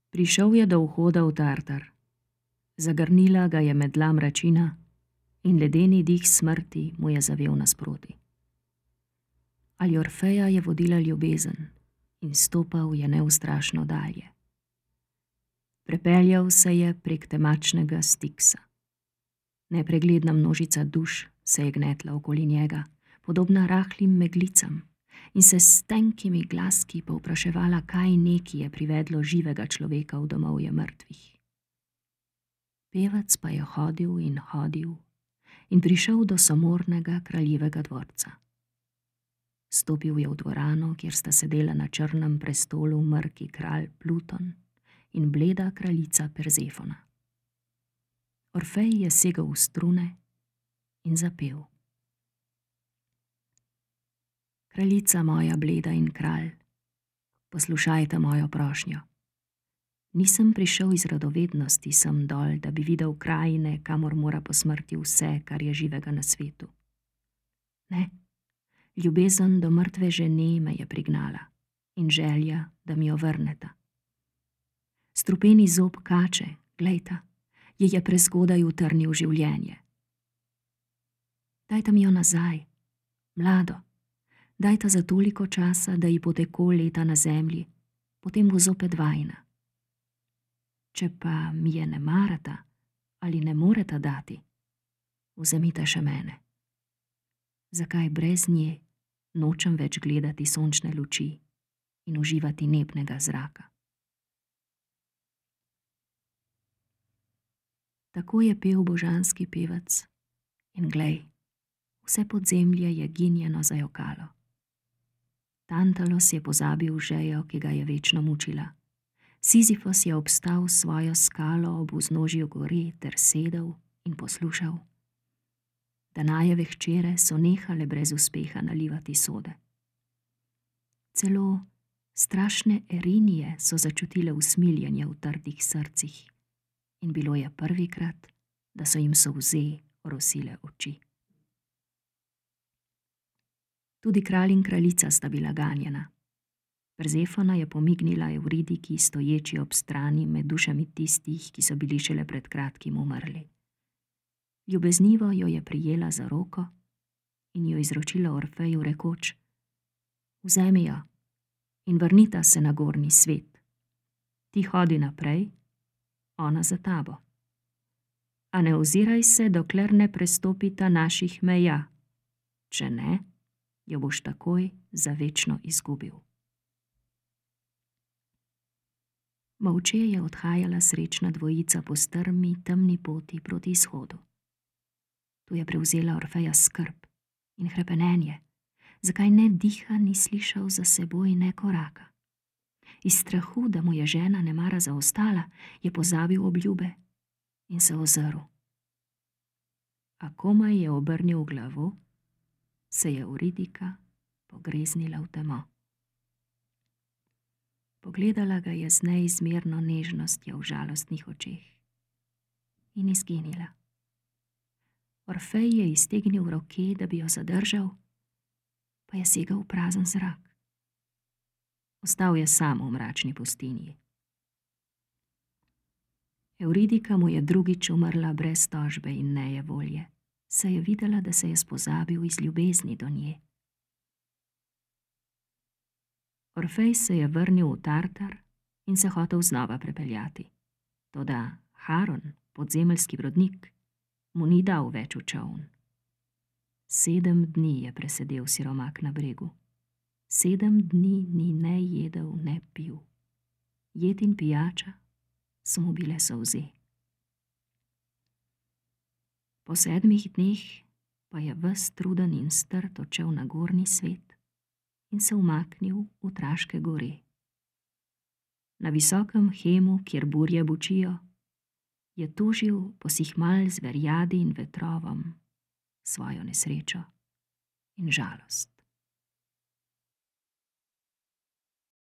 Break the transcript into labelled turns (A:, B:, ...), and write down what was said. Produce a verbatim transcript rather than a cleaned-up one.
A: Prišel je do vhoda v Tartar. Zagrnila ga je medla mračina in ledeni dih smrti mu je zavel nasproti. Ali Orfeja je vodila ljubezen in stopal je neustrašno dalje. Prepeljal se je prek temačnega Stiksa. Nepregledna množica duš se je gnetla okoli njega, podobna rahlim meglicam, in se s tenkimi glaski povpraševala, kaj neki je privedlo živega človeka v domovje mrtvih. Pevec pa je hodil in hodil in prišel do samornega kraljevega dvorca. Stopil je v dvorano, kjer sta sedela na črnem prestolu mrki kralj Pluton in bleda kraljica Perzefona. Orfej je segel v strune in zapel. Kraljica moja bleda in kralj, poslušajte mojo prošnjo. Nisem prišel iz radovednosti sem dol, da bi videl krajine, kamor mora po smrti vse, kar je živega na svetu. Ne, ljubezen do mrtve žene me je prignala in želja, da mi jo vrneta. Strupeni zob kače, glejta, je je prezgodaj utrnil življenje. Dajta mi jo nazaj, mlado, dajta za toliko časa, da ji poteko leta na zemlji, potem bo zopet vajna. Če pa mi je ne marata ali ne moreta dati, vzemite še mene. Zakaj brez nje nočem več gledati sončne luči in uživati nebnega zraka? Tako je pel božanski pevec in glej, vse podzemlje je ginjeno zajokalo. Tantalos je pozabil žejo, ki ga je večno mučila. Sizifos je obstal svojo skalo ob vznožju gore ter sedel in poslušal. Danajeve hčere so nehale brez uspeha nalivati sode. Celo strašne Erinije so začutile usmiljenje v trdih srcih in bilo je prvikrat, da so jim solze orosile oči. Tudi kralj in kraljica sta bila ganjena. Perzefona je pomignila Evridiki, stoječi ob strani med dušami tistih, ki so bili šele pred kratkim umrli. Ljubeznivo jo je prijela za roko in jo izročila Orfeju rekoč: Vzemi jo in vrnita se na gornji svet. Ti hodi naprej, ona za tabo. A ne oziraj se, dokler ne prestopita naših meja. Če ne, jo boš takoj za večno izgubil. Molče je odhajala srečna dvojica po strmi, temni poti proti izhodu. Tu je prevzela Orfeja skrb in hrepenenje, zakaj ne diha ni slišal za seboj ne koraka. Iz strahu, da mu je žena nemara zaostala, je pozabil obljube in se ozrl. A komaj je obrnil glavo, se je Euridika pogreznila v temo. Pogledala ga je z neizmerno nežnostjo v žalostnih očeh in izginila. Orfej je iztegnil roke, da bi jo zadržal, pa je segel v prazen zrak. Ostal je sam v mračni pustinji. Euridika mu je drugič umrla brez tožbe in nejevolje, saj je videla, da se je spozabil iz ljubezni do nje. Orfej se je vrnil v Tartar in se hotel znova prepeljati. Toda Haron, podzemeljski vodnik, mu ni dal več v čoln. Sedem dni je presedel siromak na bregu. Sedem dni ni ne jedel, ne pil. Jed in pijača so mu bile solze. Po sedmih dneh pa je ves truden in strt odšel na gornji svet in se umaknil v Traške gore. Na visokem Hemu, kjer burje bučijo, je tožil posihmal zverjadi in vetrovom svojo nesrečo in žalost.